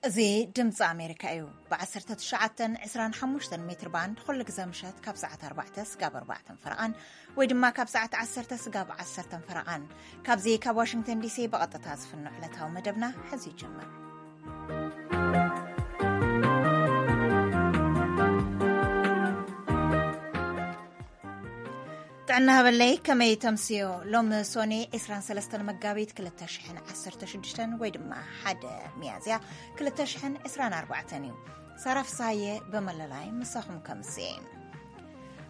እዚ ድምፂ ኣሜሪካ እዩ። ብ19፣ 25 ሜትር ባንድ ኩሉ ግዜ ምሸት ካብ ሰዓት ኣርባዕተ ስጋብ ኣርባዕተን ፈረቓን ወይ ድማ ካብ ሰዓት ዓሰርተ ስጋብ ዓሰርተን ፈረቓን። ካብዚ ካብ ዋሽንግተን ዲሲ ብቐጥታ ዝፍኖ ዕለታዊ መደብና ሕዚ ይጀምር። ጥዕና ሃበለይ፣ ከመይ ተምስዮ? ሎሚ ሶኔ 23 መጋቢት 2016 ወይ ድማ 1 ሚያዝያ 2024 እዩ። ሳራ ፍስሃየ ብመለላይ ምሳኹም ከምስየ።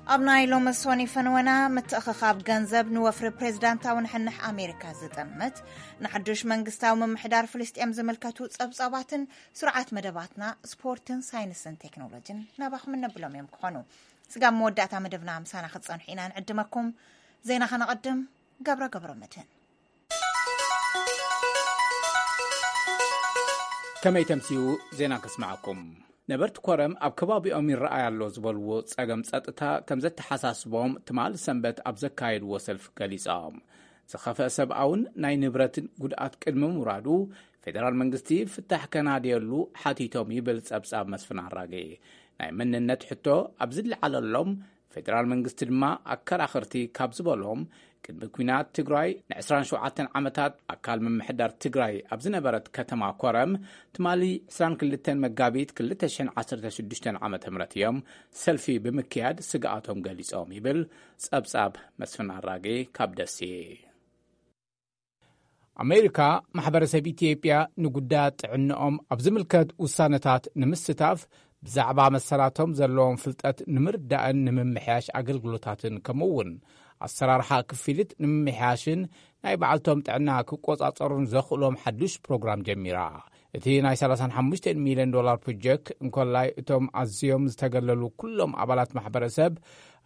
ኣብ ናይ ሎሚ ሶኒ ፈንወና፣ ምትእኽኻብ ገንዘብ ንወፍሪ ፕሬዝዳንታዊ ንሕንሕ ኣሜሪካ ዝጠምት፣ ንሓዱሽ መንግስታዊ ምምሕዳር ፍልስጤም ዝምልከቱ ጸብጻባትን ስርዓት መደባትና ስፖርትን ሳይንስን ቴክኖሎጂን ናባኹም እነብሎም እዮም ክኾኑ። ስጋብ መወዳእታ መደብና ምሳና ክትጸንሑ ኢና ንዕድመኩም። ዜና ከነቐድም፣ ገብረ ገብረ መድህን። ከመይ ተምስዩ? ዜና ከስምዓኩም። ነበርቲ ኮረም ኣብ ከባቢኦም ይረኣይ ኣሎ ዝበልዎ ጸገም ጸጥታ ከም ዘተሓሳስቦም ትማሊ ሰንበት ኣብ ዘካየድዎ ሰልፊ ገሊጾም። ዝኸፍአ ሰብኣውን ናይ ንብረትን ጉድኣት ቅድሚ ምውራዱ፣ ፌደራል መንግስቲ ፍታሕ ከናድየሉ ሓቲቶም ይብል ጸብጻብ መስፍን ኣራጌ። ናይ መንነት ሕቶ ኣብ ዝለዓለሎም፣ ፌደራል መንግስቲ ድማ ኣከራኸርቲ ካብ ዝበሎም፣ ቅድሚ ኲናት ትግራይ ን27 ዓመታት ኣካል ምምሕዳር ትግራይ ኣብ ዝነበረት ከተማ ኮረም፣ ትማሊ 22 መጋቢት 2016 ዓ.ም እዮም ሰልፊ ብምክያድ ስግኣቶም ገሊጾም ይብል ጸብጻብ መስፍን ኣራጌ ካብ ደሴ። ኣሜሪካ፣ ማሕበረሰብ ኢትዮጵያ ንጉዳያት ጥዕንኦም ኣብ ዝምልከት ውሳነታት ንምስታፍ፣ ብዛዕባ መሰላቶም ዘለዎም ፍልጠት ንምርዳእን ንምምሕያሽ ኣገልግሎታትን፣ ከምኡ እውን ኣሰራርሓ ክፍሊት ንምምሕያሽን ናይ ባዕልቶም ጥዕና ክቆጻጸሩን ዘኽእሎም ሓዱሽ ፕሮግራም ጀሚራ። እቲ ናይ ሰላሳን ሓሙሽተን ሚልዮን ዶላር ፕሮጀክት እንኮላይ እቶም ኣዝዮም ዝተገለሉ ኩሎም ኣባላት ማሕበረሰብ፣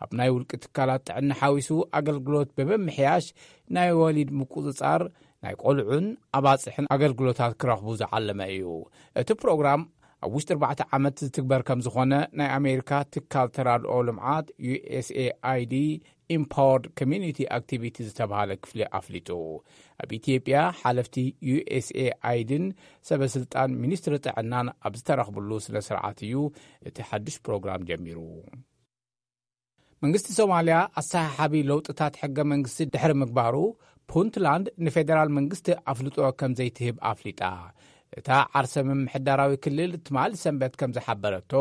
ኣብ ናይ ውልቂ ትካላት ጥዕና ሓዊሱ ኣገልግሎት ብምምሕያሽ ናይ ወሊድ ምቁጽጻር፣ ናይ ቆልዑን ኣባጽሕን ኣገልግሎታት ክረኽቡ ዝዓለመ እዩ። እቲ ፕሮግራም ኣብ ውሽጢ ኣርባዕተ ዓመት ዝትግበር ከም ዝኾነ ናይ ኣሜሪካ ትካል ተራድኦ ልምዓት፣ ዩ ኤስ ኤ ኣይ ዲ፣ ኢምፓወርድ ኮሚዩኒቲ ኣክቲቪቲ ዝተባሃለ ክፍሊ ኣፍሊጡ። ኣብ ኢትዮጵያ፣ ሓለፍቲ ዩ ኤስ ኤ ኣይ ዲን ሰበ ስልጣን ሚኒስትሪ ጥዕናን ኣብ ዝተረኽብሉ ስነ ስርዓት እዩ እቲ ሓዱሽ ፕሮግራም ጀሚሩ። መንግስቲ ሶማልያ ኣሰሓሓቢ ለውጥታት ሕገ መንግስቲ ድሕሪ ምግባሩ፣ ፑንትላንድ ንፌደራል መንግስቲ ኣፍልጦ ከም ዘይትህብ ኣፍሊጣ። እታ ዓርሰ ምምሕዳራዊ ክልል ትማሊ ሰንበት ከም ዝሓበረቶ፣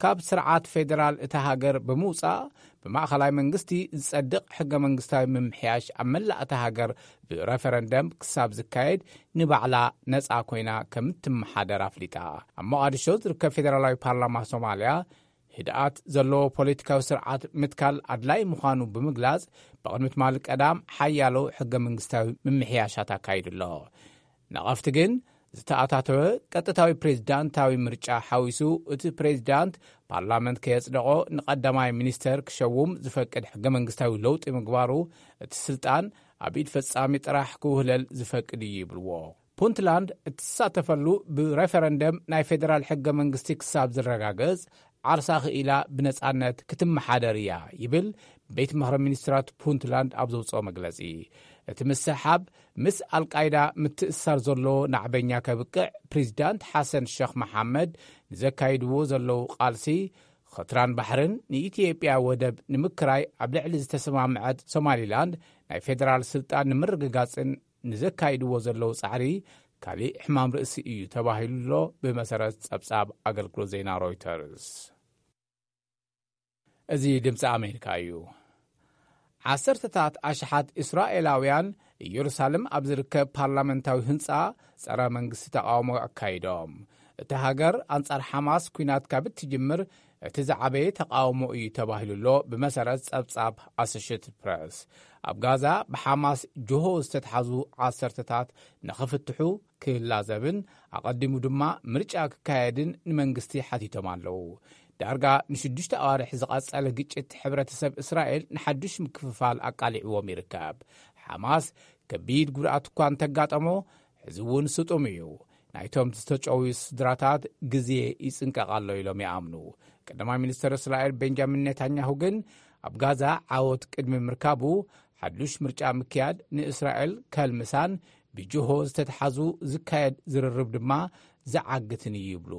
ካብ ስርዓት ፌደራል እታ ሃገር ብምውጻእ፣ ብማእኸላይ መንግስቲ ዝጸድቕ ሕገ መንግስታዊ ምምሕያሽ ኣብ መላእ እታ ሃገር ብረፈረንደም ክሳብ ዝካየድ፣ ንባዕላ ነጻ ኮይና ከም እትመሓደር ኣፍሊጣ። ኣብ ሞቓዲሾ ዝርከብ ፌደራላዊ ፓርላማ ሶማልያ፣ ህድኣት ዘለዎ ፖለቲካዊ ስርዓት ምትካል ኣድላይ ምዃኑ ብምግላጽ፣ ብቕድሚ ትማሊ ቀዳም ሓያሎ ሕገ መንግስታዊ ምምሕያሻት ኣካይዱ ኣሎ። ነቐፍቲ ግን፣ ዝተኣታተወ ቀጥታዊ ፕሬዝዳንታዊ ምርጫ ሓዊሱ፣ እቲ ፕሬዝዳንት ፓርላመንት ከየጽደቖ ንቐዳማይ ሚኒስተር ክሸውም ዝፈቅድ ሕገ መንግስታዊ ለውጢ ምግባሩ፣ እቲ ስልጣን ኣብ ኢድ ፈጻሚ ጥራሕ ክውህለል ዝፈቅድ እዩ ይብልዎ። ፑንትላንድ እትሳተፈሉ ብሬፈረንደም ናይ ፌደራል ሕገ መንግስቲ ክሳብ ዝረጋገጽ፣ ዓርሳ ክኢላ ብነጻነት ክትመሓደር እያ ይብል ቤት ምኽሪ ሚኒስትራት ፑንትላንድ ኣብ ዘውጽኦ መግለጺ። እቲ ምስሕሓብ፣ ምስ ኣልቃይዳ ምትእስሳር ዘለዎ ናዕበኛ ከብቅዕ፣ ፕሬዚዳንት ሓሰን ሸኽ መሓመድ ንዘካይድዎ ዘለዉ ቃልሲ፣ ኸትራን ባሕርን ንኢትዮጵያ ወደብ ንምክራይ ኣብ ልዕሊ ዝተሰማምዐት ሶማሊላንድ ናይ ፌደራል ስልጣን ንምርግጋጽን ንዘካይድዎ ዘለዉ ጻዕሪ፣ ካሊእ ሕማም ርእሲ እዩ ተባሂሉ ኣሎ፣ ብመሰረት ጸብጻብ ኣገልግሎት ዜና ሮይተርስ። እዚ ድምፂ ኣሜሪካ እዩ። ዓሰርተታት ኣሽሓት እስራኤላውያን ኢየሩሳሌም ኣብ ዝርከብ ፓርላመንታዊ ህንፃ ጸረ መንግስቲ ተቃውሞ ኣካይዶም። እታ ሃገር ኣንጻር ሓማስ ኲናት ካብ እትጅምር እቲ ዝዓበየ ተቃውሞ እዩ ተባሂሉ ኣሎ፣ ብመሰረት ጸብጻብ ኣሶሽየትድ ፕረስ። ኣብ ጋዛ ብሓማስ ጅሆ ዝተትሓዙ ዓሰርተታት ንኽፍትሑ ክላዘብን ኣቐዲሙ ድማ ምርጫ ክካየድን ንመንግስቲ ሓቲቶም ኣለዉ። ዳርጋ ንሽዱሽተ ኣዋርሕ ዝቐጸለ ግጭት ሕብረተሰብ እስራኤል ንሓድሽ ምክፍፋል ኣቃሊዕዎም ይርከብ። ሓማስ ከቢድ ጉድኣት እኳ እንተጋጠሞ፣ ሕዚ እውን ስጡም እዩ። ናይቶም ዝተጨውዩ ስድራታት ግዜ ይጽንቀቕ ኣሎ ኢሎም ይኣምኑ። ቀዳማይ ሚኒስተር እስራኤል ቤንጃሚን ኔታንያሁ ግን፣ ኣብ ጋዛ ዓወት ቅድሚ ምርካቡ፣ ሓዱሽ ምርጫ ምክያድ ንእስራኤል ከልምሳን ብጅሆ ዝተትሓዙ ዝካየድ ዝርርብ ድማ ዝዓግትን እዩ ይብሉ።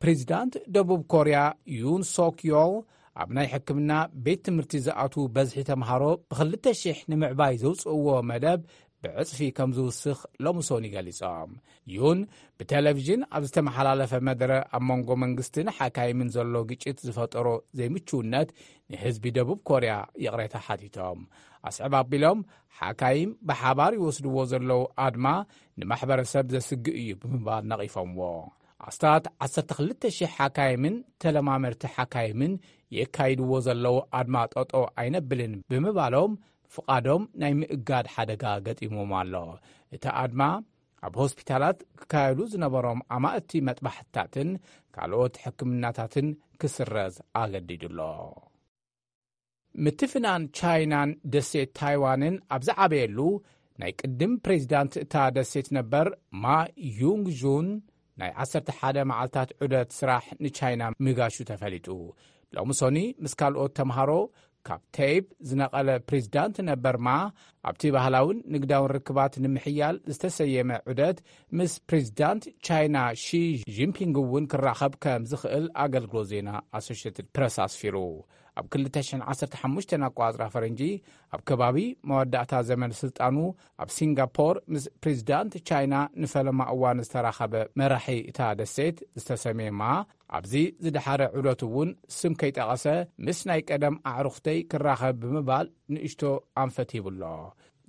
ፕሬዚዳንት ደቡብ ኮርያ ዩን ሶክ ዮል ኣብ ናይ ሕክምና ቤት ትምህርቲ ዝኣትዉ በዝሒ ተምሃሮ ብኽልተ ሽሕ ንምዕባይ ዘውፅእዎ መደብ ብዕፅፊ ከም ዝውስኽ ሎሚ ሶኒ ገሊጾም። ዩን ብቴሌቪዥን ኣብ ዝተመሓላለፈ መደረ ኣብ መንጎ መንግስትን ሓካይምን ዘሎ ግጭት ዝፈጠሮ ዘይምችውነት ንህዝቢ ደቡብ ኮርያ ይቕሬታ ሓቲቶም። ኣስዕብ ኣቢሎም ሓካይም ብሓባር ይወስድዎ ዘለዉ ኣድማ ንማሕበረሰብ ዘስግእ እዩ ብምባል ነቒፎምዎ። ኣስታት ዓሰርተ ክልተ ሽሕ ሓካይምን ተለማመርቲ ሓካይምን የካይድዎ ዘለዉ ኣድማ ጠጦ ኣይነብልን ብምባሎም ፍቓዶም ናይ ምእጋድ ሓደጋ ገጢሞም ኣሎ። እቲ ኣድማ ኣብ ሆስፒታላት ክካየዱ ዝነበሮም ኣማእቲ መጥባሕትታትን ካልኦት ሕክምናታትን ክስረዝ ኣገዲዱ ኣሎ። ምትፍናን ቻይናን ደሴት ታይዋንን ኣብ ዝዓበየሉ ናይ ቅድም ፕሬዚዳንት እታ ደሴት ነበር ማ ዩንግ ጁን ናይ ዓሰርተ ሓደ መዓልታት ዑደት ስራሕ ንቻይና ምጋሹ ተፈሊጡ። ሎሚ ሶኒ ምስ ካልኦት ተምሃሮ ካብ ቴይፕ ዝነቐለ ፕሬዚዳንት ነበር ማ ኣብቲ ባህላውን ንግዳውን ርክባት ንምሕያል ዝተሰየመ ዑደት ምስ ፕሬዚዳንት ቻይና ሺ ጂንፒንግ እውን ክራኸብ ከም ዝኽእል ኣገልግሎት ዜና ኣሶሽትድ ፕረስ ኣስፊሩ። ኣብ ክልተ ሽሕን ዓሰርተ ሓሙሽተን ኣቋጽራ ፈረንጂ ኣብ ከባቢ መወዳእታ ዘመን ስልጣኑ ኣብ ሲንጋፖር ምስ ፕሬዚዳንት ቻይና ንፈለማ እዋን ዝተራኸበ መራሒ እታ ደሴት ዝተሰሜማ ኣብዚ ዝደሓረ ዑደት እውን ስም ከይጠቐሰ ምስ ናይ ቀደም ኣዕሩኽተይ ክራኸብ ብምባል ንእሽቶ ኣንፈት ሂቡሎ።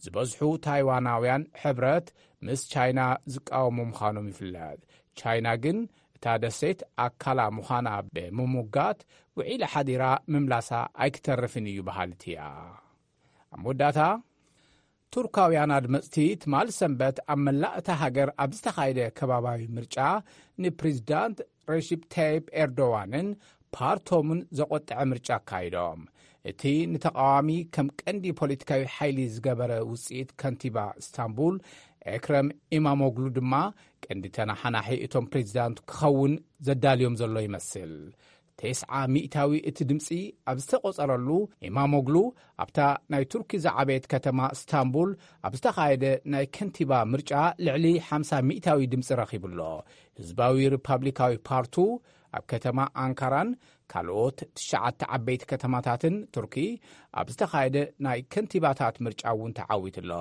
ዝበዝሑ ታይዋናውያን ሕብረት ምስ ቻይና ዝቃወሙ ምዃኖም ይፍለጥ። ቻይና ግን እታ ደሴት ኣካላ ምዃና ብምሙጋት ውዒላ ሓዲራ ምምላሳ ኣይክተርፍን እዩ በሃልቲ እያ። ኣብ መወዳእታ ቱርካውያን ኣድመፅቲ ትማል ሰንበት ኣብ መላእ እታ ሃገር ኣብ ዝተኻየደ ከባባዊ ምርጫ ንፕሬዚዳንት ረሺፕ ታይፕ ኤርዶዋንን ፓርቶምን ዘቆጠዐ ምርጫ ኣካይዶም። እቲ ንተቃዋሚ ከም ቀንዲ ፖለቲካዊ ሓይሊ ዝገበረ ውፅኢት ከንቲባ እስታንቡል ኤክረም ኢማሞግሉ ድማ ቀንዲ ተናሓናሒ እቶም ፕሬዚዳንት ክኸውን ዘዳልዮም ዘሎ ይመስል። ተስዓ ሚእታዊ እቲ ድምፂ ኣብ ዝተቆፀረሉ ኢማሞግሉ ኣብታ ናይ ቱርኪ ዝዓበየት ከተማ እስታንቡል ኣብ ዝተኻየደ ናይ ከንቲባ ምርጫ ልዕሊ ሓምሳ ሚእታዊ ድምፂ ረኺቡ ኣሎ። ህዝባዊ ሪፓብሊካዊ ፓርቱ ኣብ ከተማ ኣንካራን ካልኦት ትሽዓተ ዓበይቲ ከተማታትን ቱርኪ ኣብ ዝተኻየደ ናይ ከንቲባታት ምርጫ እውን ተዓዊቱ ኣሎ።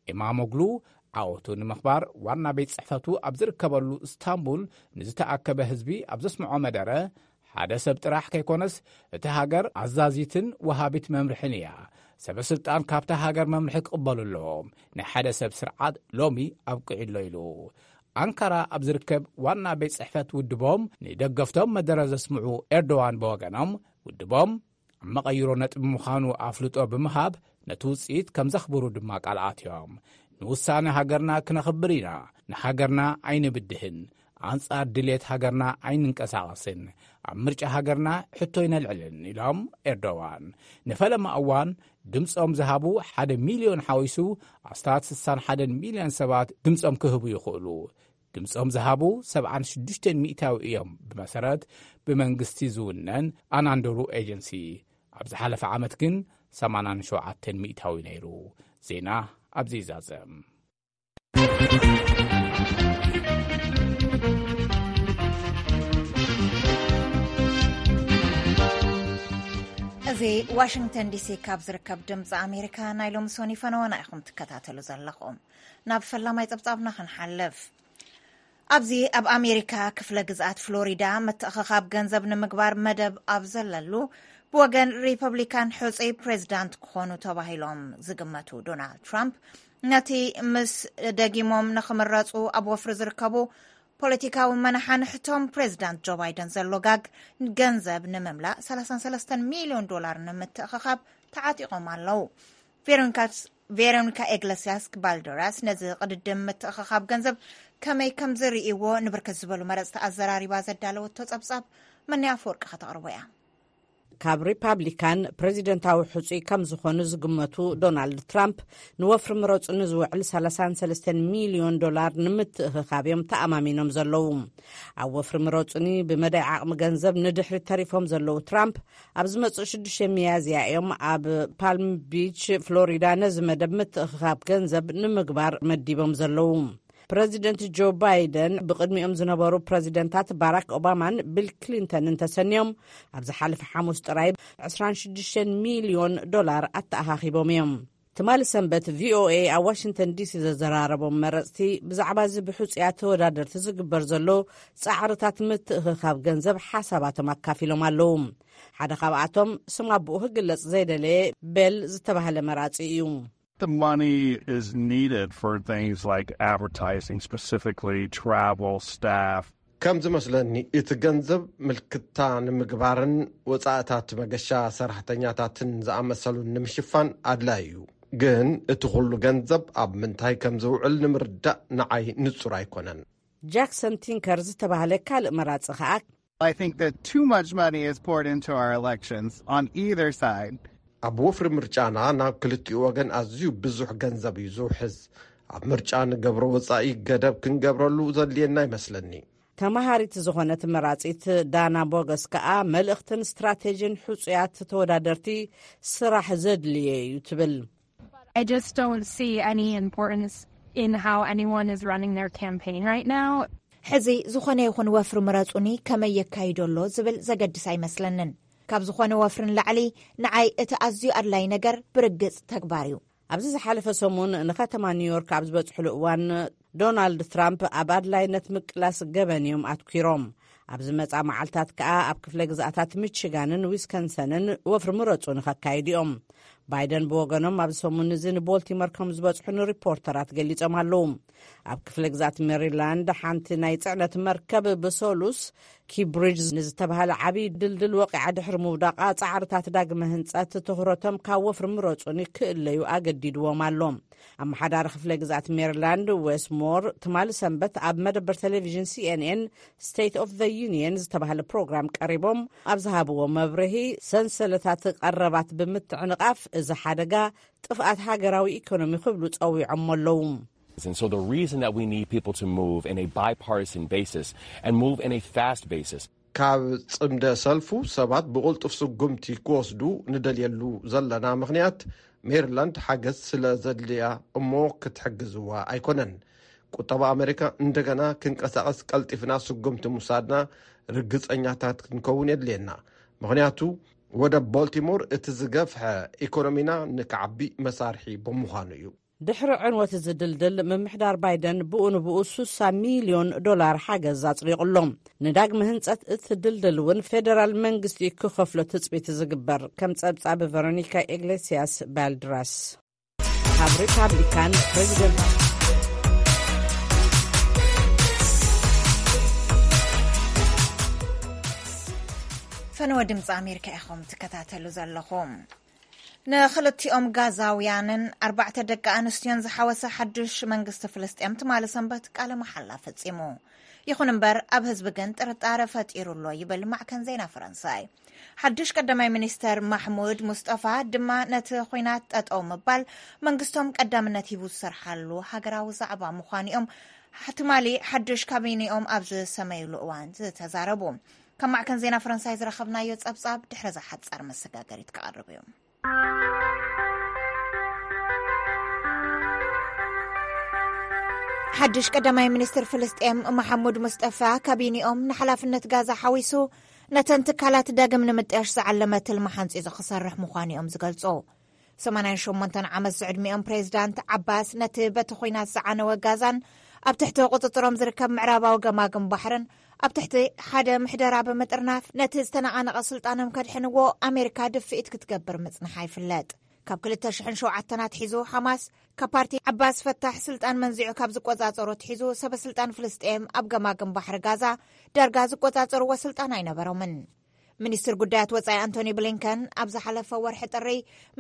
ኢማሞግሉ ዓወቱ ንምኽባር ዋና ቤት ጽሕፈቱ ኣብ ዝርከበሉ እስታንቡል ንዝተኣከበ ህዝቢ ኣብ ዘስምዖ መደረ፣ ሓደ ሰብ ጥራሕ ከይኮነስ እቲ ሃገር ኣዛዚትን ወሃቢት መምርሕን እያ። ሰበ ስልጣን ካብታ ሃገር መምርሒ ክቕበሉ ኣለዎም። ናይ ሓደ ሰብ ስርዓት ሎሚ ኣብቂዑ ኣሎ ኢሉ። ኣንካራ ኣብ ዝርከብ ዋና ቤት ጽሕፈት ውድቦም ንደገፍቶም መደረ ዘስምዑ ኤርዶዋን ብወገኖም ውድቦም ኣብ መቐይሮ ነጥቢ ምዃኑ ኣፍልጦ ብምሃብ ነቲ ውፅኢት ከም ዘኽብሩ ድማ ቃል ኣትዮም። ንውሳነ ሃገርና ክነኽብር ኢና። ንሃገርና ኣይንብድህን። ኣንጻር ድሌት ሃገርና ኣይንንቀሳቐስን። ኣብ ምርጫ ሃገርና ሕቶ ኣይነልዕልን ኢሎም ኤርዶዋን። ንፈለማ እዋን ድምፆም ዝሃቡ ሓደ ሚልዮን ሓዊሱ ኣስታት ስሳን ሓደን ሚልዮን ሰባት ድምፆም ክህቡ ይኽእሉ። ድምፆም ዝሃቡ ሰብዓን ሽዱሽተን ሚእታዊ እዮም ብመሰረት ብመንግስቲ ዝውነን ኣናንዶሩ ኤጀንሲ። ኣብ ዝሓለፈ ዓመት ግን ሰማንያን ሸውዓተን ሚእታዊ ነይሩ። ዜና ኣብዚ ይዛዘም። እዚ ዋሽንግተን ዲሲ ካብ ዝርከብ ድምፂ ኣሜሪካ ናይ ሎሚ ሶኒ ፈነወና ኢኹም ትከታተሉ ዘለኹም። ናብ ፈላማይ ጸብጻብና ክንሓልፍ። ኣብዚ ኣብ ኣሜሪካ ክፍለ ግዝኣት ፍሎሪዳ ምትእኽኻብ ገንዘብ ንምግባር መደብ ኣብ ዘለሉ ብወገን ሪፐብሊካን ሕጹይ ፕሬዝዳንት ክኾኑ ተባሂሎም ዝግመቱ ዶናልድ ትራምፕ ነቲ ምስ ደጊሞም ንኽምረጹ ኣብ ወፍሪ ዝርከቡ ፖለቲካዊ መናሓንሕቶም ፕሬዝዳንት ጆ ባይደን ዘሎ ጋግ ገንዘብ ንምምላእ ሰላሳን ሰለስተን ሚልዮን ዶላር ንምትእኽኻብ ተዓጢቖም ኣለዉ። ቬሮኒካ ቬሮኒካ ኢግለሲያስ ባልደራስ ነዚ ቅድድም ምትእኽኻብ ገንዘብ ከመይ ከም ዝርእይዎ ንብርክት ዝበሉ መረፅቲ ኣዘራሪባ ዘዳለወቶ ጸብጻብ መኒ ኣፈወርቂ ከተቕርቦ እያ። ካብ ሪፓብሊካን ፕሬዚደንታዊ ሕጹይ ከም ዝኾኑ ዝግመቱ ዶናልድ ትራምፕ ንወፍሪ ምረጹ ንዝውዕል ሰላሳን ሰለስተን ሚልዮን ዶላር ንምትእኽኻብ እዮም ተኣማሚኖም ዘለዉ። ኣብ ወፍሪ ምረጹኒ ብመዳይ ዓቕሚ ገንዘብ ንድሕሪት ተሪፎም ዘለዉ ትራምፕ ኣብ ዝመጽእ ሽዱሽተ ሚያዝያ እዮም ኣብ ፓልም ቢች ፍሎሪዳ ነዚ መደብ ምትእኽኻብ ገንዘብ ንምግባር መዲቦም ዘለዉ። ፕረዚደንት ጆ ባይደን ብቕድሚኦም ዝነበሩ ፕረዚደንታት ባራክ ኦባማን ቢል ክሊንተንን ተሰንዮም፣ ኣብ ዝሓለፈ ሓሙስ ጥራይ ዕስራን ሽዱሽተን ሚልዮን ዶላር ኣተኣኻኺቦም እዮም። ትማሊ ሰንበት ቪኦኤ ኣብ ዋሽንግተን ዲሲ ዘዘራረቦም መረፅቲ፣ ብዛዕባ እዚ ብሕፁያት ተወዳደርቲ ዝግበር ዘሎ ፃዕርታት ምትእኽኻብ ገንዘብ ሓሳባቶም ኣካፊሎም ኣለዉ። ሓደ ካብኣቶም ስም ኣቦኡ ክግለጽ ዘይደለየ ቤል ዝተባህለ መራጺ እዩ። The money is needed for things like advertising, specifically travel, staff. ከም ዝመስለኒ፣ እቲ ገንዘብ ምልክታ ንምግባርን ወጻእታት መገሻ ሰራሕተኛታትን ዝኣመሰሉን ንምሽፋን ኣድላዩ እዩ። ግን እቲ ኩሉ ገንዘብ ኣብ ምንታይ ከም ዝውዕል ንምርዳእ ንዓይ ንጹር ኣይኮነን። ጃክሰን ቲንከር ዝተባህለ ካልእ መራጺ ከኣ፣ I think that too much money is poured into our elections on either side. ኣብ ወፍሪ ምርጫና ናብ ክልቲኡ ወገን ኣዝዩ ብዙሕ ገንዘብ እዩ ዝውሕዝ። ኣብ ምርጫ ንገብሮ ወጻኢ ገደብ ክንገብረሉ ዘድልየና ይመስለኒ። ተመሃሪት ዝኾነት መራጺት ዳና ቦገስ ከኣ፣ መልእኽትን ስትራቴጂን ሕጹያት ተወዳደርቲ ስራሕ ዘድልየ እዩ ትብል። I just don't see any importance in how anyone is running their campaign right now. ሕዚ ዝኾነ ይኹን ወፍሪ ምረጹኒ ከመይ የካይዶ ኣሎ ዝብል ዘገድስ ኣይመስለንን። ካብ ዝኾነ ወፍሪ ንላዕሊ፣ ንዓይ እቲ ኣዝዩ ኣድላይ ነገር ብርግጽ ተግባር እዩ። ኣብዚ ዝሓለፈ ሰሙን ንከተማ ኒውዮርክ ኣብ ዝበጽሕሉ እዋን፣ ዶናልድ ትራምፕ ኣብ ኣድላይነት ምቅላስ ገበን እዮም ኣትኲሮም። ኣብ ዝመጻ መዓልታት ከኣ ኣብ ክፍለ ግዝኣታት ሚቺጋንን ዊስከንሰንን ወፍሪ ምረጹ ንኸካይዱ እዮም። ባይደን ብወገኖም፣ ኣብዚ ሰሙን እዚ ንቦልቲሞር ከም ዝበጽሑ ንሪፖርተራት ገሊጾም ኣለዉ። ኣብ ክፍለ ግዝኣት ሜሪላንድ፣ ሓንቲ ናይ ጽዕነት መርከብ ብሰሉስ ኪብሪጅ ንዝተባህለ ዓብዪ ድልድል ወቂዓ ድሕሪ ምውዳቓ፣ ጻዕርታት ዳግመ ህንጸት ትኹረቶም ካብ ወፍሪ ምረጹኒ ክእለዩ ኣገዲድዎም ኣሎ። ኣመሓዳሪ ክፍለ ግዝኣት ሜሪላንድ፣ ዌስ ሞር፣ ትማሊ ሰንበት ኣብ መደበር ቴሌቪዥን ሲኤንኤን ስቴት ኦፍ ዘ ዩኒየን ዝተባህለ ፕሮግራም ቀሪቦም ኣብ ዝሃብዎ መብርሂ፣ ሰንሰለታት ቀረባት ብምትዕንቓፍ፣ እዚ ሓደጋ ጥፍኣት ሃገራዊ ኢኮኖሚ ክብሉ ጸዊዖሞ ኣለዉ። And so the reason that we need people to move in a bipartisan basis and move in a fast basis. ካብ ጽምደ ሰልፉ ሰባት ብቕልጡፍ ስጉምቲ ክወስዱ ንደልየሉ ዘለና ምኽንያት፣ ሜሪላንድ ሓገዝ ስለ ዘድልያ እሞ ክትሕግዝዋ ኣይኮነን። ቁጠባ ኣሜሪካ እንደገና ክንቀሳቐስ ቀልጢፍና ስጉምቲ ምውሳድና ርግጸኛታት ክንከውን የድልየና። ምኽንያቱ፣ ወደብ ቦልቲሞር እቲ ዝገፍሐ ኢኮኖሚና ንክዓቢ መሳርሒ ብምዃኑ እዩ። ድሕሪ ዕንወት እዚ ድልድል፣ ምምሕዳር ባይደን ብኡ ንብኡ ሱሳ ሚልዮን ዶላር ሓገዝ ኣጽዲቑ ኣሎ። ንዳግመ ህንጸት እቲ ድልድል እውን ፌደራል መንግስቲ ክኸፍሎ ትጽቢት ዝግበር፣ ከም ጸብጻብ ቨሮኒካ ኢግሌሲያስ ባልድራስ። ካብ ሪፓብሊካን ፕሬዚደንት ፈነወ ድምፂ ኣሜሪካ ኢኹም ትከታተሉ ዘለኹም። ንኽልቲኦም ጋዛውያንን ኣርባዕተ ደቂ ኣንስትዮን ዝሓወሰ ሓዱሽ መንግስቲ ፍልስጤም ትማሊ ሰንበት ቃለ መሓላ ፈጺሙ። ይኹን እምበር፣ ኣብ ህዝቢ ግን ጥርጣረ ፈጢሩ ኣሎ ይብል ማዕከን ዜና ፈረንሳይ። ሓዱሽ ቀዳማይ ሚኒስተር ማሕሙድ ሙስጠፋ ድማ ነቲ ኹናት ጠጠው ምባል መንግስቶም ቀዳምነት ሂቡ ዝሰርሓሉ ሃገራዊ ዛዕባ ምዃኑ እዮም ትማሊ ሓዱሽ ካቢኔኦም ኣብ ዝሰመይሉ እዋን ዝተዛረቡ። ካብ ማዕከን ዜና ፈረንሳይ ዝረኸብናዮ ጸብጻብ ድሕሪ እዛ ሓጻር መሰጋገሪት ክቐርብ እዩ። ሓድሽ ቀዳማይ ሚኒስትር ፍልስጤም መሓሙድ ሙስጠፋ፣ ካቢኔኦም ንሓላፍነት ጋዛ ሓዊሱ ነተን ትካላት ዳግም ንምጥያሽ ዝዓለመ ትልሚ ሓንጺጹ ክሰርሕ ምዃኑ እዮም ዝገልጹ። ሰማንያን ሸሞንተን ዓመት ዝዕድሚኦም ፕሬዚዳንት ዓባስ፣ ነቲ በቲ ኹናት ዝዓነወ ጋዛን ኣብ ትሕቲ ቁጽጽሮም ዝርከብ ምዕራባዊ ገማግም ባሕርን ኣብ ትሕቲ ሓደ ምሕደራ ብምጥርናፍ፣ ነቲ ዝተነቓነቐ ስልጣኖም ከድሕንዎ ኣሜሪካ ድፍኢት ክትገብር ምጽንሓ ይፍለጥ። ካብ ክልተ ሽሕን ሸውዓተን ኣትሒዙ፣ ሓማስ ካብ ፓርቲ ዓባስ ፈታሕ ስልጣን መንዚዑ ካብ ዝቆጻጸሮ ኣትሒዙ፣ ሰበ ስልጣን ፍልስጤም ኣብ ገማግም ባሕሪ ጋዛ ዳርጋ ዝቆጻጸርዎ ስልጣን ኣይነበሮምን። ሚኒስትር ጉዳያት ወጻኢ ኣንቶኒ ብሊንከን ኣብ ዝሓለፈ ወርሒ ጥሪ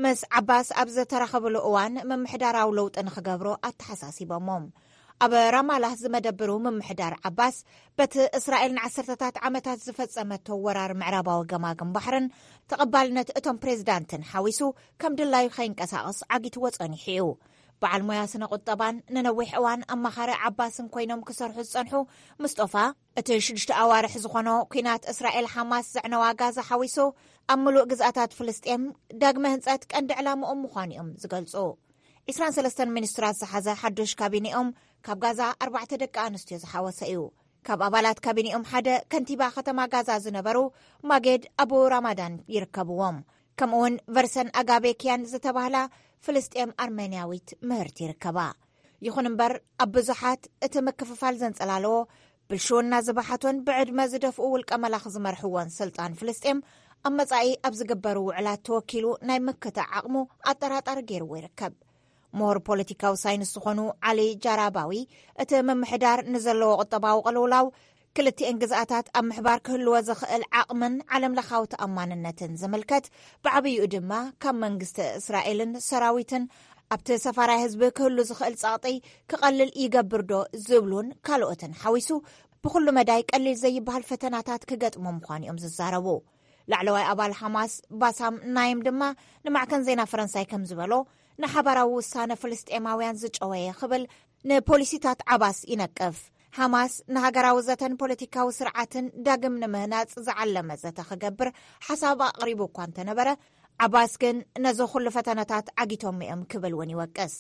ምስ ዓባስ ኣብ ዝተራኸብሉ እዋን፣ ምምሕዳራዊ ለውጢ ንኽገብሩ ኣተሓሳሲቦሞም። ኣብ ራማላህ ዝመደብሩ ምምሕዳር ዓባስ፣ በቲ እስራኤል ንዓሰርተታት ዓመታት ዝፈጸመቶ ወራር ምዕራባዊ ገማግም ባሕርን ተቐባልነት እቶም ፕሬዚዳንትን ሓዊሱ፣ ከም ድላዩ ከይንቀሳቐስ ዓጊትዎ ጸኒሑ እዩ። በዓል ሞያ ስነ ቁጠባን ንነዊሕ እዋን ኣማኻሪ ዓባስን ኮይኖም ክሰርሑ ዝጸንሑ ሙስጦፋ፣ እቲ ሽዱሽተ ኣዋርሕ ዝኾኖ ኲናት እስራኤል ሓማስ ዘዕነዋ ጋዛ ሓዊሱ፣ ኣብ ምሉእ ግዝኣታት ፍልስጤም ዳግመ ህንጸት ቀንዲ ዕላምኦም ምዃኑ እዮም ዝገልጹ። ዒስራን ሰለስተን ሚኒስትራት ዝሓዘ ሓዱሽ ካቢኔኦም ካብ ጋዛ ኣርባዕተ ደቂ ኣንስትዮ ዝሓወሰ እዩ። ካብ ኣባላት ካቢኔኦም ሓደ ከንቲባ ከተማ ጋዛ ዝነበሩ ማጌድ ኣቡ ራማዳን ይርከብዎም። ከምኡውን ቨርሰን ኣጋቤኪያን ዝተባህላ ፍልስጤም ኣርሜንያዊት ምህርቲ ይርከባ። ይኹን እምበር፣ ኣብ ብዙሓት እቲ ምክፍፋል ዘንጸላለዎ፣ ብልሽውና ዝበሓቶን ብዕድመ ዝደፍኡ ውልቀ መላኽ ዝመርሕዎን ስልጣን ፍልስጤም ኣብ መጻኢ ኣብ ዝግበሩ ውዕላት ተወኪሉ ናይ ምክታዕ ዓቕሙ ኣጠራጣሪ ገይርዎ ይርከብ። ምሁር ፖለቲካዊ ሳይንስ ዝኾኑ ዓሊ ጃራባዊ፣ እቲ ምምሕዳር ንዘለዎ ቁጠባዊ ቅልውላው፣ ክልቲኤን ግዝኣታት ኣብ ምሕባር ክህልዎ ዝኽእል ዓቕምን ዓለም ለኻዊ ተኣማንነትን ዝምልከት፣ ብዓብይኡ ድማ ካብ መንግስቲ እስራኤልን ሰራዊትን ኣብቲ ሰፋራይ ህዝቢ ክህሉ ዝኽእል ጸቕጢ ክቐልል ይገብር ዶ ዝብሉን ካልኦትን ሓዊሱ፣ ብኹሉ መዳይ ቀሊል ዘይበሃል ፈተናታት ክገጥሞ ምዃኑ እዮም ዝዛረቡ። ላዕለዋይ ኣባል ሓማስ ባሳም ናይም ድማ ንማዕከን ዜና ፈረንሳይ ከም ዝበሎ፣ ንሓባራዊ ውሳነ ፍልስጤማውያን ዝጨወየ ክብል ንፖሊሲታት ዓባስ ይነቅፍ። ሓማስ ንሃገራዊ ዘተን ፖለቲካዊ ስርዓትን ዳግም ንምህናጽ ዝዓለመ ዘተ ክገብር ሓሳብ ኣቕሪቡ እኳ እንተነበረ፣ ዓባስ ግን ነዚ ኩሉ ፈተነታት ዓጊቶም እዮም ክብል እውን ይወቅስ።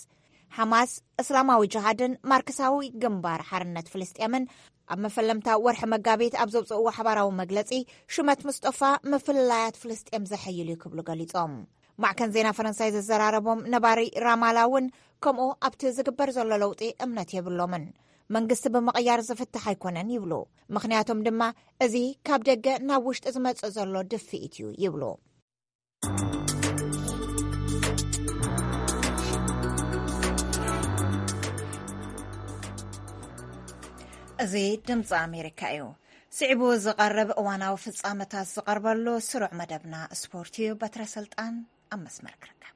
ሓማስ፣ እስላማዊ ጅሃድን ማርክሳዊ ግንባር ሓርነት ፍልስጤምን ኣብ መፈለምታ ወርሒ መጋቢት ኣብ ዘውፅእዎ ሓባራዊ መግለፂ፣ ሽመት ሙስጠፋ ምፍልላያት ፍልስጤም ዘሐይል እዩ ክብሉ ገሊጾም። ማዕከን ዜና ፈረንሳይ ዘዘራረቦም ነባሪ ራማላ እውን ከምኡ ኣብቲ ዝግበር ዘሎ ለውጢ እምነት የብሎምን። መንግስቲ ብምቕያር ዝፍታሕ ኣይኮነን ይብሉ። ምኽንያቶም ድማ እዚ ካብ ደገ ናብ ውሽጢ ዝመጽእ ዘሎ ድፍኢት እዩ ይብሉ። እዚ ድምፂ ኣሜሪካ እዩ። ስዒቡ ዝቐርብ እዋናዊ ፍጻመታት ዝቐርበሉ ስሩዕ መደብና ስፖርት እዩ። በትረ ስልጣን ኣብ መስመር ክርከብ።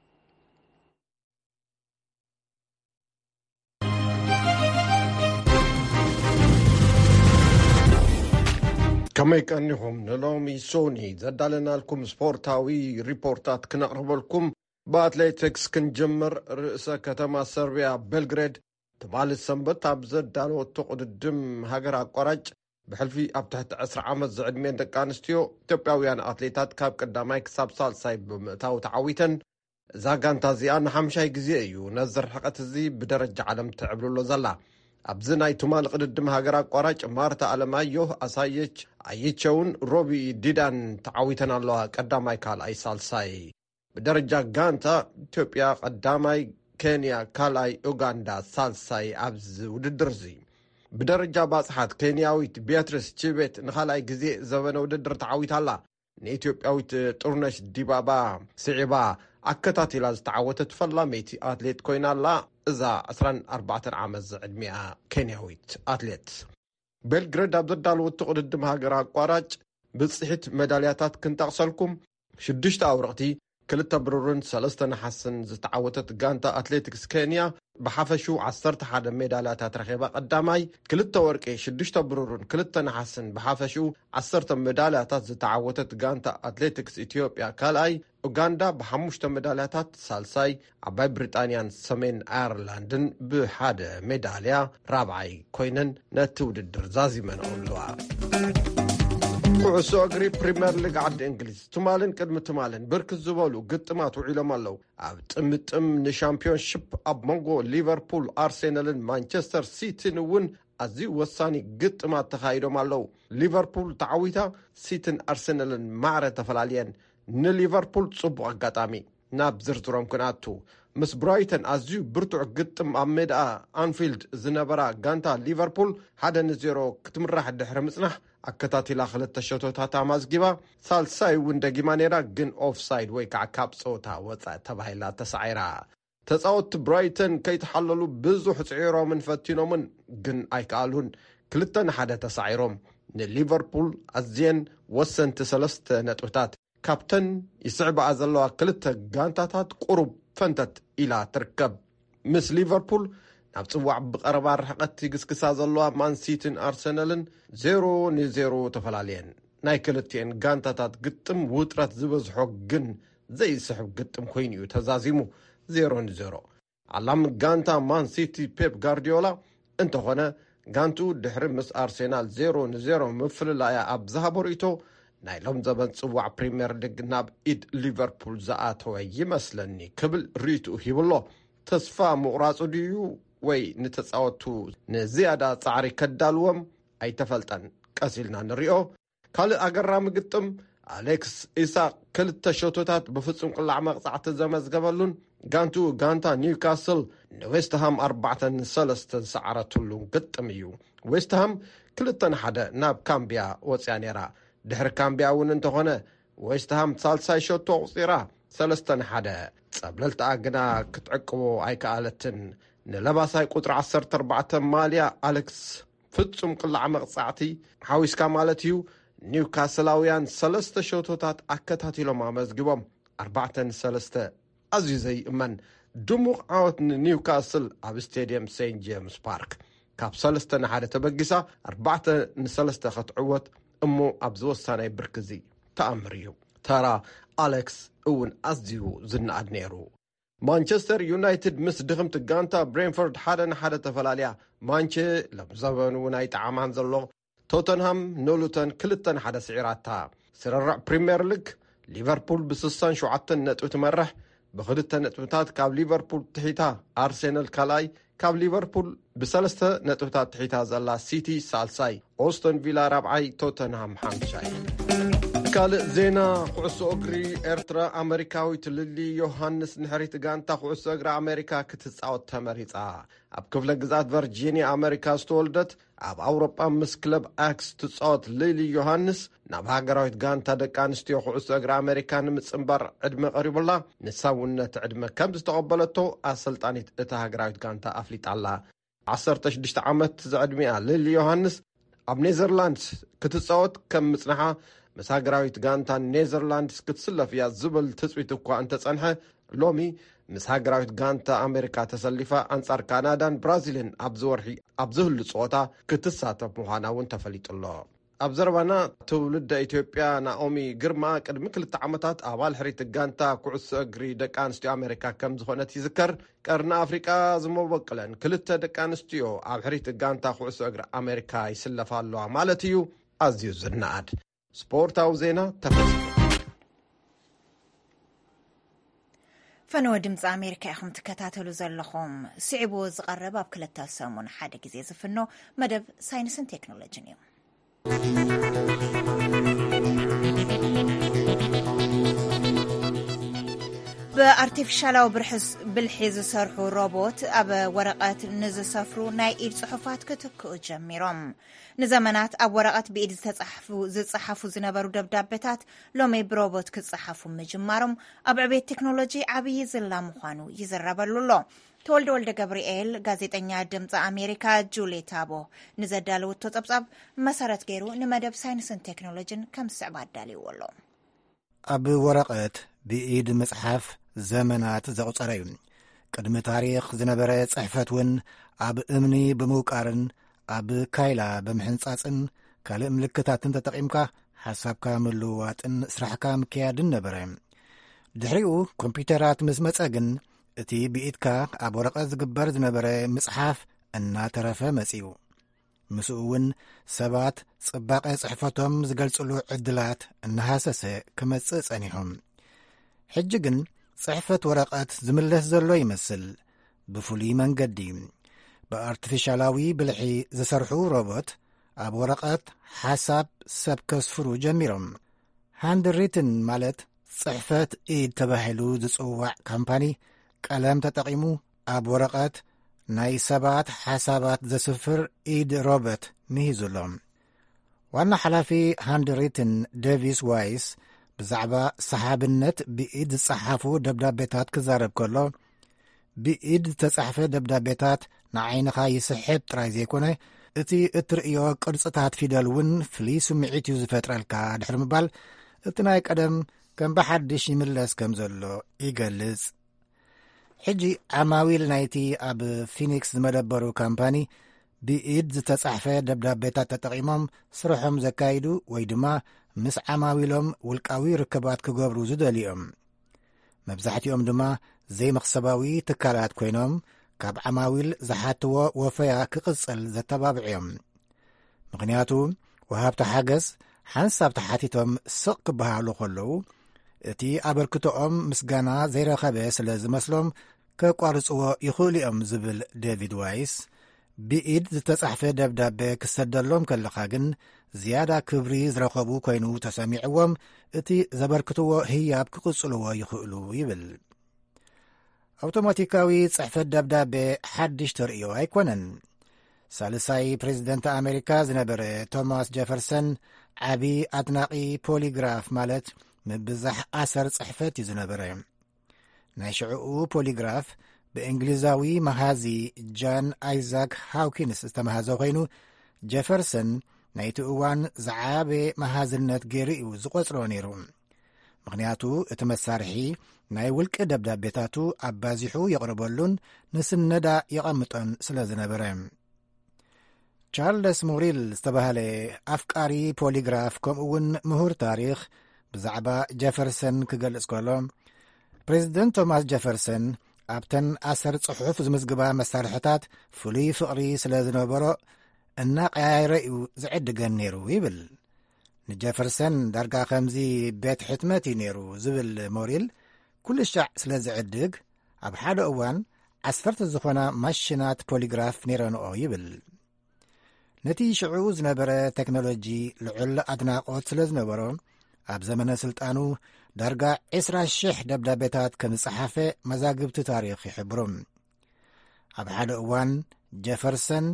ከመይ ቀኒኹም? ንሎሚ ሶኒ ዘዳለናልኩም ስፖርታዊ ሪፖርታት ክነቕርበልኩም ብኣትሌቲክስ ክንጅምር። ርእሰ ከተማ ሰርቢያ ቤልግሬድ ትማሊ ሰንበት ኣብ ዘዳለወቶ ቅድድም ሃገር ኣቋራጭ፣ ብሕልፊ ኣብ ትሕቲ ዕስራ ዓመት ዝዕድሜን ደቂ ኣንስትዮ ኢትዮጵያውያን ኣትሌታት ካብ ቀዳማይ ክሳብ ሳልሳይ ብምእታው ተዓዊተን። እዛ ጋንታ እዚኣ ንሓምሻይ ግዜ እዩ ነዚ ርሕቀት እዚ ብደረጃ ዓለም ትዕብልሎ ዘላ። ኣብዚ ናይ ትማሊ ቅድድም ሃገር ኣቋራጭ ማርታ ኣለማዮህ፣ ኣሳየች ኣይቸውን ሮቢ ዲዳን ተዓዊተን ኣለዋ፣ ቀዳማይ፣ ካልኣይ፣ ሳልሳይ። ብደረጃ ጋንታ፣ ኢትዮጵያ ቀዳማይ፣ ኬንያ ካልኣይ፣ ኡጋንዳ ሳልሳይ ኣብዚ ውድድር እዚ። ብደረጃ ባጽሓት፣ ኬንያዊት ቢያትሪስ ቺቤት ንኻልኣይ ግዜ ዘበነ ውድድር ተዓዊታ ኣላ። ንኢትዮጵያዊት ጥሩነሽ ዲባባ ስዒባ ኣከታቲላ ዝተዓወተት ፈላመይቲ ኣትሌት ኮይና ኣላ። እዛ ዕስራን ኣርባዕተን ዓመት ዝዕድሚኣ ኬንያዊት ኣትሌት። ቤልግሬድ ኣብ ዘዳለወቶ ቅድድም ሃገር ኣቋራጭ ብጽሒት መዳልያታት ክንጠቕሰልኩም፣ ሽዱሽተ ኣውርቕቲ፣ ክልተ ብሩርን ሰለስተ ነሓስን ዝተዓወተት ጋንታ ኣትሌቲክስ ኬንያ ብሓፈሽኡ ዓሰርተ ሓደ ሜዳልያታት ረኺባ ቀዳማይ፣ ክልተ ወርቂ፣ ሽዱሽተ ብሩርን ክልተ ነሓስን ብሓፈሽኡ ዓሰርተ ሜዳልያታት ዝተዓወተት ጋንታ ኣትሌቲክስ ኢትዮጵያ ካልኣይ፣ ኡጋንዳ ብሓሙሽተ ሜዳልያታት ሳልሳይ፣ ዓባይ ብሪጣንያን ሰሜን ኣየርላንድን ብሓደ ሜዳልያ ራብዓይ ኮይነን ነቲ ውድድር ዛዚመንኦ ኣለዋ። ኩዕሶ እግሪ ፕሪምየር ሊግ ዓዲ እንግሊዝ ትማልን ቅድሚ ትማልን ብርክት ዝበሉ ግጥማት ውዒሎም ኣለዉ። ኣብ ጥምጥም ንሻምፒዮንሺፕ ኣብ መንጎ ሊቨርፑል፣ ኣርሴናልን ማንቸስተር ሲቲን እውን ኣዝዩ ወሳኒ ግጥማት ተኻይዶም ኣለዉ። ሊቨርፑል ተዓዊታ፣ ሲቲን ኣርሴናልን ማዕረ ተፈላልየን። ንሊቨርፑል ጽቡቕ ኣጋጣሚ። ናብ ዝርዝሮም ክንኣቱ፣ ምስ ብራይተን ኣዝዩ ብርቱዕ ግጥም ኣብ ሜዳ ኣንፊልድ ዝነበራ ጋንታ ሊቨርፑል ሓደ ንዜሮ ክትምራሕ ድሕሪ ምጽናሕ፣ ኣከታቲላ ክልተ ሸቶታት ኣማዝጊባ፣ ሳልሳይ እውን ደጊማ ነይራ፣ ግን ኦፍሳይድ ወይ ከዓ ካብ ጸወታ ወጻኢ ተባሂላ ተሳዒራ። ተጻወትቲ ብራይተን ከይተሓለሉ ብዙሕ ጽዒሮምን ፈቲኖምን፣ ግን ኣይከኣሉን። ክልተ ንሓደ ተሳዒሮም። ንሊቨርፑል ኣዝየን ወሰንቲ ሰለስተ ነጥብታት ካብተን ይስዕብኣ ዘለዋ ክልተ ጋንታታት ቁሩብ ፈንተት ኢላ ትርከብ። ምስ ሊቨርፑል ናብ ጽዋዕ ብቐረባ ርሕቀት ይግስግሳ ዘለዋ ማንሲቲን ኣርሰናልን ዜሮ ንዜሮ ተፈላለየን። ናይ ክልቲኤን ጋንታታት ግጥም ውጥረት ዝበዝሖ ግን ዘይስሕብ ግጥም ኮይኑ እዩ ተዛዚሙ፣ ዜሮ ንዜሮ። ኣላሚ ጋንታ ማን ሲቲ ፔፕ ጋርዲዮላ እንተኾነ፣ ጋንትኡ ድሕሪ ምስ ኣርሴናል ዜሮ ንዜሮ ምፍልላያ ኣብ ዝሃቦ ርእይቶ፣ ናይ ሎም ዘበን ጽዋዕ ፕሪምየር ሊግ ናብ ኢድ ሊቨርፑል ዝኣተወ ይመስለኒ ክብል ርእይትኡ ሂቡ ኣሎ። ተስፋ ምቑራጹ ድዩ ወይ ንተጻወቱ ንዝያዳ ጻዕሪ ከዳልዎም ኣይተፈልጠን። ቀስ ኢልና ንሪኦ። ካልእ ኣገራሚ ግጥም፣ ኣሌክስ ኢሳቅ ክልተ ሸቶታት ብፍጹም ቅላዕ መቕጻዕቲ ዘመዝገበሉን ጋንቱ ጋንታ ኒውካስል ንዌስትሃም ኣርባዕተ ንሰለስተ ዝሰዓረትሉን ግጥም እዩ። ዌስትሃም ክልተ ንሓደ ናብ ካምቢያ ወጽያ ነይራ። ድሕሪ ካምቢያ እውን እንተኾነ፣ ዌስትሃም ሳልሳይ ሸቶ ኣቑጺራ፣ ሰለስተ ንሓደ። ጸብለልትኣ ግና ክትዕቅቦ ኣይከኣለትን። ንለባሳይ ቁጽሪ ዓሰርተ ኣርባዕተ ማልያ ኣሌክስ ፍጹም ቅላዕ መቕጻዕቲ ሓዊስካ ማለት እዩ። ኒውካስላውያን ሰለስተ ሸቶታት ኣከታቲሎም ኣመዝጊቦም፣ ኣርባዕተ ንሰለስተ። ኣዝዩ ዘይእመን ድሙቕ ዓወት ንኒውካስል ኣብ ስቴድየም ሴንት ጄምስ ፓርክ። ካብ ሰለስተ ንሓደ ተበጊሳ ኣርባዕተ ንሰለስተ ክትዕወት እሞ ኣብዚ ወሳናይ ብርኪ እዚ ተኣምር እዩ። ተራ ኣሌክስ እውን ኣዝዩ ዝነኣድ ነይሩ። ማንቸስተር ዩናይትድ ምስ ድኽምቲ ጋንታ ብሬንፎርድ ሓደ ንሓደ ተፈላልያ። ማንቸ ሎም ዘበኑ እውን ኣይጠዓማን ዘሎ። ቶተንሃም ንሉተን ክልተ ንሓደ ስዒራታ። ስርርዕ ፕሪምየር ሊግ፣ ሊቨርፑል ብስሳን ሸውዓተን ነጥቢ ትመርሕ። ብክልተ ነጥብታት ካብ ሊቨርፑል ትሒታ ኣርሴናል ካልኣይ፣ ካብ ሊቨርፑል ብሰለስተ ነጥብታት ትሒታ ዘላ ሲቲ ሳልሳይ፣ ኦስተን ቪላ ራብዓይ፣ ቶተንሃም ሓምሻይ። ካልእ ዜና ኩዕሶ እግሪ ኤርትራ፣ ኣመሪካዊት ሊሊ ዮሃንስ ንሕሪት ጋንታ ኩዕሶ እግሪ ኣሜሪካ ክትጻወት ተመሪጻ። ኣብ ክፍለ ግዝኣት ቨርጂኒያ ኣመሪካ ዝተወልደት፣ ኣብ ኣውሮጳ ምስ ክለብ ኣክስ ትጻወት ሊሊ ዮሃንስ፣ ናብ ሃገራዊት ጋንታ ደቂ ኣንስትዮ ኩዕሶ እግሪ ኣሜሪካ ንምጽንባር ዕድመ ቀሪቡላ። ንሳ እውን ነቲ ዕድመ ከም ዝተቐበለቶ ኣሰልጣኒት እታ ሃገራዊት ጋንታ ኣፍሊጣ ኣላ። ዓሰርተ ሽዱሽተ ዓመት ዝዕድሚኣ ሊሊ ዮሃንስ፣ ኣብ ኔዘርላንድስ ክትጻወት ከም ምጽንሓ፣ ምስ ሃገራዊት ጋንታ ኔዘርላንድስ ክትስለፍ እያ ዝብል ትጽቢት እኳ እንተጸንሐ፣ ሎሚ ምስ ሃገራዊት ጋንታ ኣሜሪካ ተሰሊፋ ኣንጻር ካናዳን ብራዚልን ኣብዚ ወርሒ ኣብ ዝህሉ ጸወታ ክትሳተፍ ምዃና እውን ተፈሊጡ ኣሎ። ኣብ ዘረባና፣ ትውልደ ኢትዮጵያ ናኦሚ ግርማ ቅድሚ ክልተ ዓመታት ኣባል ሕሪት ጋንታ ኩዕሶ እግሪ ደቂ ኣንስትዮ ኣሜሪካ ከም ዝኾነት ይዝከር። ቀርኒ ኣፍሪቃ ዝመበቅለን ክልተ ደቂ ኣንስትዮ ኣብ ሕሪት ጋንታ ኩዕሶ እግሪ ኣሜሪካ ይስለፋ ኣለዋ ማለት እዩ። ኣዝዩ ዝነኣድ ስፖርታዊ ዜና ተፈጺሙ። ፈነወ ድምፂ ኣሜሪካ ኢኹም ትከታተሉ ዘለኹም። ስዒቡ ዝቐርብ ኣብ ክልተ ሰሙን ሓደ ግዜ ዝፍኖ መደብ ሳይንስን ቴክኖሎጂን እዩ። ብኣርቲፊሻላዊ ብርሕስ-፣ ብልሒ ዝሰርሑ ሮቦት ኣብ ወረቐት ንዝሰፍሩ ናይ ኢድ ጽሑፋት ክትክኡ ጀሚሮም። ንዘመናት ኣብ ወረቐት ብኢድ ዝተጻሕፉ፣ ዝጸሓፉ ዝነበሩ ደብዳቤታት ሎሚ ብሮቦት ክጸሓፉ ምጅማሮም ኣብ ዕቤት ቴክኖሎጂ ዓብዪ ዝላ ምዃኑ ይዝረበሉ ኣሎ። ተወልደ ወልደ ገብርኤል፣ ጋዜጠኛ ድምፂ ኣሜሪካ ጁሊ ታቦ፣ ንዘዳለወቶ ጸብጻብ መሰረት ገይሩ ንመደብ ሳይንስን ቴክኖሎጂን ከም ዝስዕብ ኣዳልይዎ ኣሎ። ኣብ ወረቐት ብኢድ ምጽሓፍ ዘመናት ዘቑጸረ እዩ። ቅድሚ ታሪኽ ዝነበረ ጽሕፈት እውን ኣብ እምኒ ብምውቃርን ኣብ ካይላ ብምሕንጻጽን ካልእ ምልክታትን ተጠቒምካ ሓሳብካ ምልውዋጥን ስራሕካ ምክያድን ነበረ። ድሕሪኡ ኮምፒውተራት ምስ መጸ ግን፣ እቲ ብኢድካ ኣብ ወረቐት ዝግበር ዝነበረ ምጽሓፍ እናተረፈ መጺኡ። ምስኡ እውን ሰባት ጽባቐ ጽሕፈቶም ዝገልጽሉ ዕድላት እናሃሰሰ ክመጽእ ጸኒሑ። ሕጂ ግን ጽሕፈት ወረቐት ዝምለስ ዘሎ ይመስል። ብፍሉይ መንገዲ፣ ብኣርቲፊሻላዊ ብልሒ ዝሰርሑ ሮቦት ኣብ ወረቐት ሓሳብ ሰብ ከስፍሩ ጀሚሮም። ሃንድሪትን፣ ማለት ጽሕፈት ኢድ ተባሂሉ ዝጽዋዕ ካምፓኒ፣ ቀለም ተጠቒሙ ኣብ ወረቐት ናይ ሰባት ሓሳባት ዘስፍር ኢድ ሮቦት ምሂዙ ኣሎ። ዋና ሓላፊ ሃንድሪትን፣ ዴቪስ ዋይስ፣ ብዛዕባ ሰሓብነት ብኢድ ዝጸሓፉ ደብዳቤታት ክዛረብ ከሎ፣ ብኢድ ዝተጻሕፈ ደብዳቤታት ንዓይንኻ ይስሕብ ጥራይ ዘይኮነ፣ እቲ እትርእዮ ቅርጽታት ፊደል እውን ፍሉይ ስምዒት እዩ ዝፈጥረልካ፣ ድሕሪ ምባል፣ እቲ ናይ ቀደም ከም ብሓድሽ ይምለስ ከም ዘሎ ይገልጽ። ሕጂ ዓማዊል ናይቲ ኣብ ፊኒክስ ዝመደበሩ ካምፓኒ፣ ብኢድ ዝተጻሕፈ ደብዳቤታት ተጠቒሞም ስርሖም ዘካይዱ ወይ ድማ ምስ ዓማዊሎም ውልቃዊ ርክባት ክገብሩ ዝደልዩ እዮም። መብዛሕትኦም ድማ ዘይመኽሰባዊ ትካላት ኮይኖም፣ ካብ ዓማዊል ዝሓትዎ ወፈያ ክቕጽል ዘተባብዑ እዮም። ምኽንያቱ፣ ወሃብቲ ሓገዝ ሓንሳብ ተሓቲቶም ስቕ ክበሃሉ ከለዉ፣ እቲ ኣበርክቶኦም ምስጋና ዘይረኸበ ስለ ዝመስሎም፣ ከቋርጽዎ ይኽእሉ እዮም ዝብል ዴቪድ ዋይስ፣ ብኢድ ዝተጻሕፈ ደብዳቤ ክሰደሎም ከለኻ ግን ዝያዳ ክብሪ ዝረኸቡ ኮይኑ ተሰሚዕዎም፣ እቲ ዘበርክትዎ ህያብ ክቕጽልዎ ይኽእሉ ይብል። ኣውቶማቲካዊ ጽሕፈት ደብዳቤ ሓድሽ ተርእዮ ኣይኮነን። ሳልሳይ ፕሬዚደንት ኣሜሪካ ዝነበረ ቶማስ ጀፈርሰን ዓቢ ኣድናቒ ፖሊግራፍ፣ ማለት ምብዛሕ ኣሰር ጽሕፈት እዩ ዝነበረ። ናይ ሽዕኡ ፖሊግራፍ ብእንግሊዛዊ መሃዚ ጃን ኣይዛክ ሃውኪንስ ዝተመሃዘ ኮይኑ፣ ጀፈርሰን ናይቲ እዋን ዝዓበየ መሃዝነት ገይሩ እዩ ዝቖጽሮ ነይሩ። ምኽንያቱ እቲ መሳርሒ ናይ ውልቂ ደብዳቤታቱ ኣባዚሑ የቕርበሉን ንስነዳ የቐምጦን ስለ ዝነበረ። ቻርለስ ሞሪል ዝተባህለ ኣፍቃሪ ፖሊግራፍ ከምኡ እውን ምሁር ታሪኽ ብዛዕባ ጀፈርሰን ክገልጽ ከሎ፣ ፕሬዚደንት ቶማስ ጀፈርሰን ኣብተን ኣሰር ጽሑፍ ዝምዝግባ መሳርሕታት ፍሉይ ፍቕሪ ስለ ዝነበሮ እናቀያየረ እዩ ዝዕድገን ነይሩ ይብል። ንጀፈርሰን ዳርጋ ከምዚ ቤት ሕትመት እዩ ነይሩ ዝብል ሞሪል፣ ኩሉ ሻዕ ስለ ዝዕድግ ኣብ ሓደ እዋን ዓሰርተ ዝኾና ማሽናት ፖሊግራፍ ነይረንኦ ይብል። ነቲ ሽዑ ዝነበረ ቴክኖሎጂ ልዑል ኣድናቖት ስለ ዝነበሮ፣ ኣብ ዘመነ ስልጣኑ ዳርጋ ዕስራ ሽሕ ደብዳቤታት ከም ዝጸሓፈ መዛግብቲ ታሪኽ ይሕብሩ። ኣብ ሓደ እዋን ጀፈርሰን፣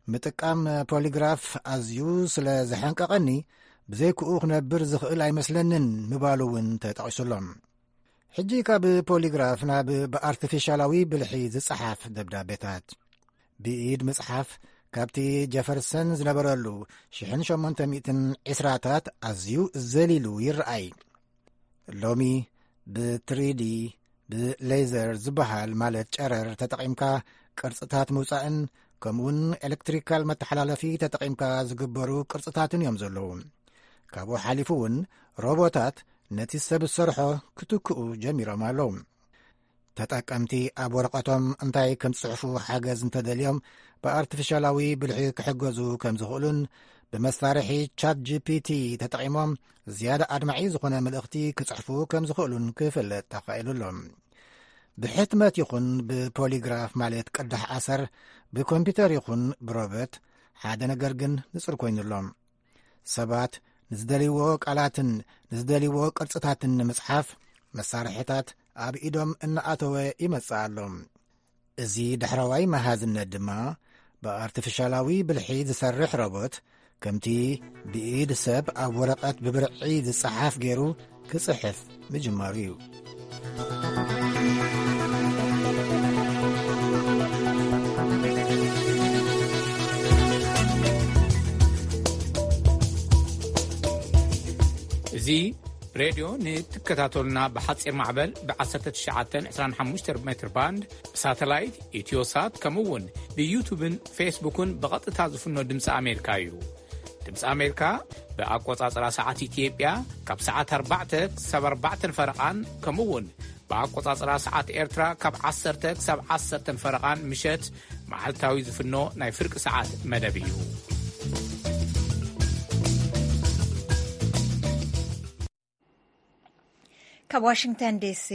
"ምጥቃም ፖሊግራፍ ኣዝዩ ስለ ዘሐንቀቐኒ፣ ብዘይክኡ ክነብር ዝኽእል ኣይመስለንን" ምባሉ እውን ተጠቒሱሎም። ሕጂ ካብ ፖሊግራፍ ናብ ብኣርቲፊሻላዊ ብልሒ ዝጸሓፍ ደብዳቤታት። ብኢድ ምጽሓፍ ካብቲ ጀፈርሰን ዝነበረሉ ሽሕን ሸሞንተ ሚእትን ዕስራታት ኣዝዩ ዘሊሉ ይረኣይ። ሎሚ ብትሪዲ፣ ብሌዘር ዝበሃል፣ ማለት ጨረር ተጠቒምካ ቅርጽታት ምውጻእን ከምኡውን ኤሌክትሪካል መተሓላለፊ ተጠቒምካ ዝግበሩ ቅርጽታትን እዮም ዘለዉ። ካብኡ ሓሊፉ እውን ሮቦታት ነቲ ሰብ ዝሰርሖ ክትክኡ ጀሚሮም ኣለዉ። ተጠቀምቲ ኣብ ወረቐቶም እንታይ ከም ዝጽሕፉ ሓገዝ እንተደልዮም ብኣርቲፊሻላዊ ብልሒ ክሕገዙ ከም ዝኽእሉን ብመሳርሒ ቻት ጂ ፒ ቲ ተጠቒሞም ዝያዳ ኣድማዒ ዝኾነ መልእኽቲ ክጽሕፉ ከም ዝኽእሉን ክፍለጥ ተኻኢሉ ኣሎ። ብሕትመት ይኹን ብፖሊግራፍ፣ ማለት ቅዳሕ ኣሰር፣ ብኮምፒውተር ይኹን ብሮበት፣ ሓደ ነገር ግን ንጹር ኮይኑ ኣሎ። ሰባት ንዝደልይዎ ቃላትን ንዝደልይዎ ቅርጽታትን ንምጽሓፍ መሳርሕታት ኣብ ኢዶም እናኣተወ ይመጽእ ኣሎ። እዚ ዳሕረዋይ መሃዝነት ድማ ብኣርቲፊሻላዊ ብልሒ ዝሰርሕ ሮቦት፣ ከምቲ ብኢድ ሰብ ኣብ ወረቐት ብብርዒ ዝጸሓፍ ገይሩ ክጽሕፍ ምጅማሩ እዩ። እዚ ሬድዮ ንትከታተሉና ብሓጺር ማዕበል ብ1925 ሜትር ባንድ፣ ብሳተላይት፣ ኢትዮሳት፣ ከምኡ እውን ብዩቱብን ፌስቡክን ብቐጥታ ዝፍኖ ድምፂ ኣሜሪካ እዩ። ድምፂ ኣሜሪካ ብኣቆጻጽራ ሰዓት ኢትዮጵያ ካብ ሰዓት ኣርባዕተ ክሳብ ኣርባዕተን ፈረቓን፣ ከምኡ እውን ብኣቆጻጽራ ሰዓት ኤርትራ ካብ ዓሰርተ ክሳብ ዓሰርተን ፈረቓን ምሸት መዓልታዊ ዝፍኖ ናይ ፍርቂ ሰዓት መደብ እዩ። ካብ ዋሽንግተን ዲሲ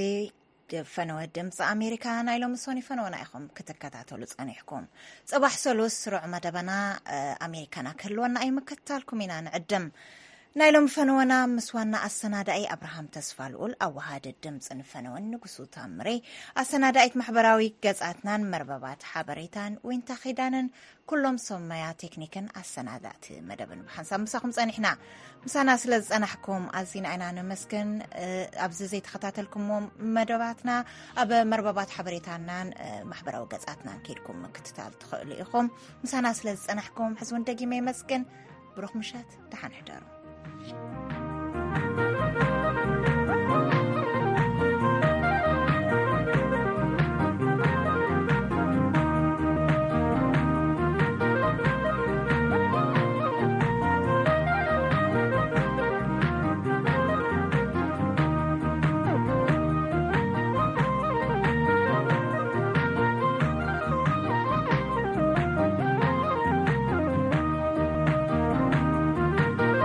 ፈነወ ድምፂ ኣሜሪካ ናይ ሎሚ ሶኒ ፈነወና ኢኹም ክትከታተሉ ጸኒሕኩም። ጽባሕ ሰሉስ ስሩዕ መደበና፣ እ፣ ኣሜሪካና ክህልወና እዩ፣ ምክትታልኩም ኢና ንዕድም። ናይ ሎሚ ፈነወና ምስ ዋና ኣሰናዳኢ ኣብርሃም ተስፋ ልኡል፣ ኣወሃዲ ድምፂ ንፈነወን ንጉሱ ታምሬ፣ ኣሰናዳኢት ማሕበራዊ ገጻትናን መርበባት ሓበሬታን ዊንታ ኺዳንን፣ ኩሎም ሰብ መያ ቴክኒክን ኣሰናዳእቲ መደብን ብሓንሳብ ምሳኹም ጸኒሕና። ምሳና ስለ ዝጸናሕኩም ኣዚና ኢና ነመስግን። እ፣ ኣብዚ ዘይተኸታተልኩምዎም መደባትና ኣብ መርበባት ሓበሬታናን፣ እ፣ ማሕበራዊ ገጻትናን ከይድኩም ምክትታል ትኽእሉ ኢኹም። ምሳና ስለ ዝጸናሕኩም ሕዚ እውን ደጊመ የመስግን። ብሩኽ ምሸት፣ ደሓን ሕደሩ።